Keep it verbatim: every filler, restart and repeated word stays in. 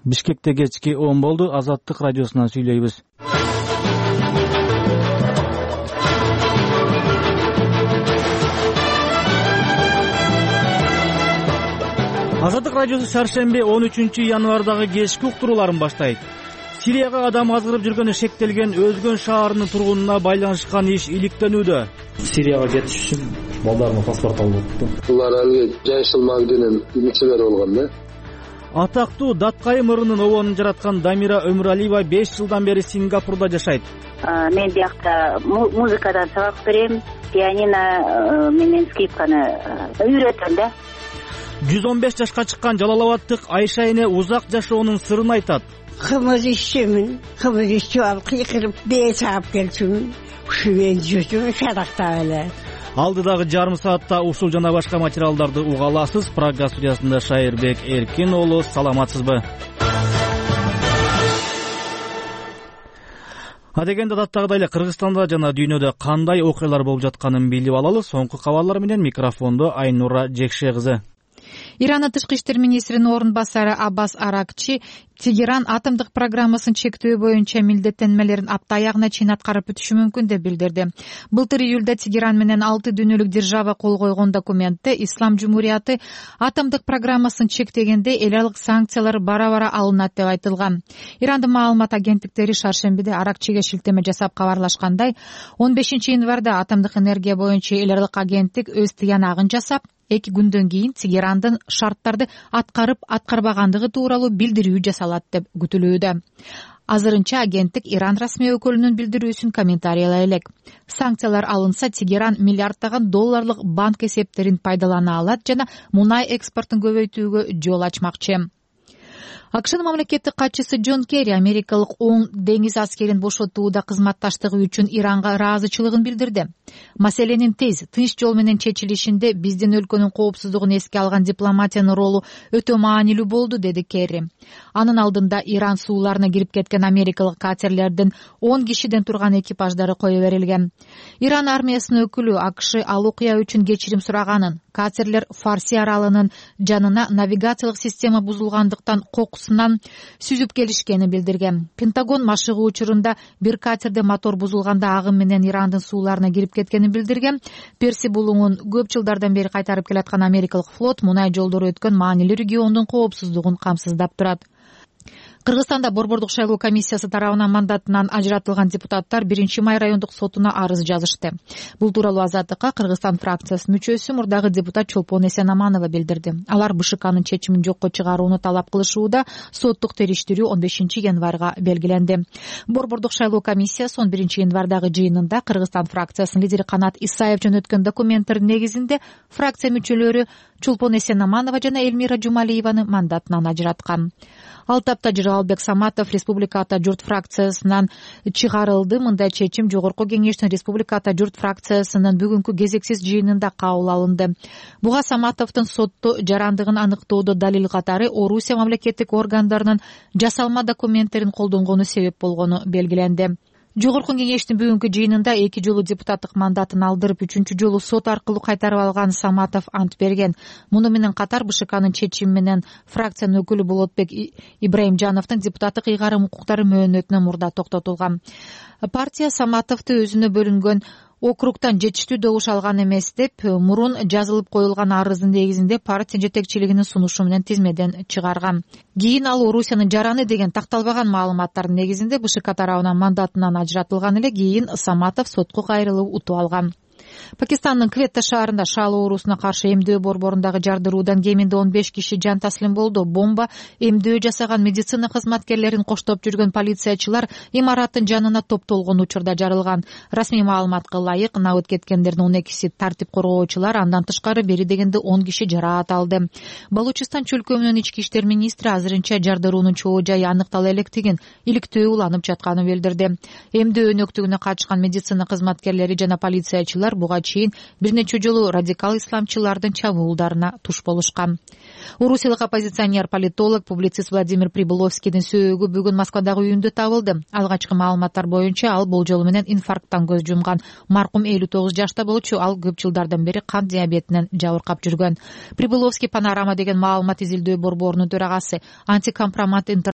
Бишкекте кечки он болду. Азаттык радиосунан сүйлөйбүз. Азаттык радиосу шаршемби он үчүнчү январдагы кечки уктурууларын баштайт. Сирияга адам азгырып жүргөнү шектелген Өзгөн шаарынын тургунуна байланышкан иш иликтенүүдө. Сирияга кетиш үчүн балдарына паспорт алып атты. Булар алга жайшыл магдинин үмүтчүлөрү болгон да. Атактуу Даткайым ырынын обонун жараткан Дамира Өмүралиева беш жылдан бери Сингапурда жашайт. Мен биякта музыкадан сабак берем, пианино менен скрипканы үйрөтөм да. жүз он беш жашка чыккан жалал абадтык Айша эне узак жашоонун сырын айтат. Кымыз ишчимин, кымыз ишчип алып кыйкырып бээ чаап келчүмүн. Ушумен жүрчүмүн шадакта эле. Алдыдагы жарым саатта ушул жана башка материалдарды уга аласыз. Прага студиясында Шайырбек Эркин уулу, саламатсызбы? Адегенде даттагыдай эле Кыргызстанда жана дүйнөдө кандай окуялар болуп жатканын билип алалы. Соңку кабарлар менен микрофондо Айнура Жекше кызы. Иранын тышкы иштер министринин орун басары Аббас Аракчи Тегеран атомдук программасын чектөө боюнча милдеттенмелерин апта аягына чейин аткарып бүтүшү мүмкүн деп билдирди. Былтыр июлда Тегеран менен алты дүйнөлүк держава кол койгон документте Ислам Жумурияты атомдук программасын чектегенде эл аралык санкциялар бара-бара алынат деп айтылган. Ирандын маалымат агенттиктери шаршембиде Аракчиге шилтеме жасап кабарлашкандай, он бешинчи январда атомдук энергия боюнча эл аралык агенттик өз тыянагын жасап, эки күндөн кийин Тегерандын шарттарды аткарып аткарбагандыгы тууралуу билдирүү жасалат деп күтүлүүдө. Азырынча агенттик Иран расмий өкүлүнүн билдирүүсүн комментариялай элек. Санкциялар алынса, Тегеран миллиарддаган долларлык банк эсептерин пайдалана алат жана мунай экспортун көбөйтүүгө жол ачмакчы. АКШнын мамлекеттик катчысы Джон Керри америкалык оң деңиз аскерин бошотууда кызматташтыгы үчүн Иранга ыраазычылыгын билдирди. Маселенин тез, тынч жол менен чечилишинде биздин өлкөнүн коопсуздугун эске алган дипломатиянын ролу өтө маанилүү болду, деди Керри. Анын алдында Иран сууларына кирип кеткен америкалык катерлердин он кишиден турган экипаждары кое берилген. Иран армиясынын өкүлү АКШ ал окуя үчүн кечирим сураганын, катерлер Фарси аралынын жанына навигациялык система бузулгандыктан кокусунан сүзүп келишкенин билдирген. Пентагон машыгуу учурунда бир катерде мотор бузулганда агым менен Ирандын сууларына кирип кеткенин билдирген. Перси булуңун көп жылдардан бери кайтарып келаткан америкалык флот мунай жолдору өткөн маанилүү региондун коопсуздугун камсыздап турат. Кыргызстанда Борбордук шайлоо комиссиясы тарабынан мандатынан ажыратылган депутаттар биринчи май райондук сотуна арыз жазышты. Бул тууралуу Азаттыкка Кыргызстан фракциясынын мүчөсү мурдагы депутат Чолпон Эсенаманова билдирди. Алар БШКнын чечимин жокко чыгарууну талап кылышууда, соттук териштирүү он бешинчи январга белгиленди. Борбордук шайлоо комиссиясы он биринчи январдагы жыйынында Кыргызстан фракциясынын лидери Канат Исаев жөнөткөн документтердин негизинде фракция мүчөлөрү Чолпон Эсенаманова жана Элмира Жумалиеваны мандатынан ажыраткан. Ал тапта Жыргалбек Саматов Республика Ата журт фракциясынан чыгарылды. Мындай чечим Жогорку кеңештин Республика Ата журт фракциясынын бүгүнкү кезексиз жыйынында кабыл алынды. Буга Саматовдун сотто жарандыгын аныктоодо далил катары Орусия мамлекеттик органдарынын жасалма документтерин колдонгону себеп болгону белгиленди. Жогорку кеңештин бүгүнкү жыйынында эки жолу депутаттык мандатын алдырып, үчүнчү жолу сот аркылуу кайтарып алган Саматов ант берген. Муну менен катар БШКнын чечими менен фракциянын өкүлү Болотбек Ибраимжановдун депутаттык ыйгарым укуктары мөөнөтүнө мурда токтотулган. Партия Саматовду өзүнө бөлүнгөн округтан жетиштүү добуш алган эмес деп, мурун жазылып коюлган арыздын негизинде партия жетекчилигинин сунушу менен тизмеден чыгарган. Кийин ал Орусиянын жараны деген такталбаган маалыматтардын негизинде БШК тарабынан мандатынан ажыратылган эле. Кийин Саматов сотко кайрылып утуп алган. Пакистандын Кветта шаарында шаал оорусуна каршы эмдөө борборундагы жардыруудан кеминде он беш киши жан таслим болду. Бомба эмдөө жасаган медицина кызматкерлерин коштоп жүргөн полициячылар имараттын жанына топтолгон учурда жарылган. Расмий маалыматка ылайык, набыт кеткендердин он экиси тартип коргоочулар, андан тышкары бери дегенде он киши жараат алды. Балучистан чөлкөмүнүн ички иштер министри азырынча жардыруунун чоо жайы аныктала электигин, иликтөө уланып жатканын билдирди. Эмдөө өнөктүгүнө катышкан медицина кызматкерлери жана полициячылар буга чейин бир нече жолу радикал исламчылардын чабуулдарына туш болушкан. Орусиялык оппозиционер, политолог, публицист Владимир Прибыловскийдин сөөгү бүгүн Москвадагы үйүндө табылды. Алгачкы маалыматтар боюнча ал болжолу менен инфаркттан көз жумган. Маркум элүү тогуз жашта болчу, ал көп жылдардан бери кант диабетинен жабыркап жүргөн. Прибыловский Панорама деген маалымат изилдөө борборунун төрагасы, антикомпромат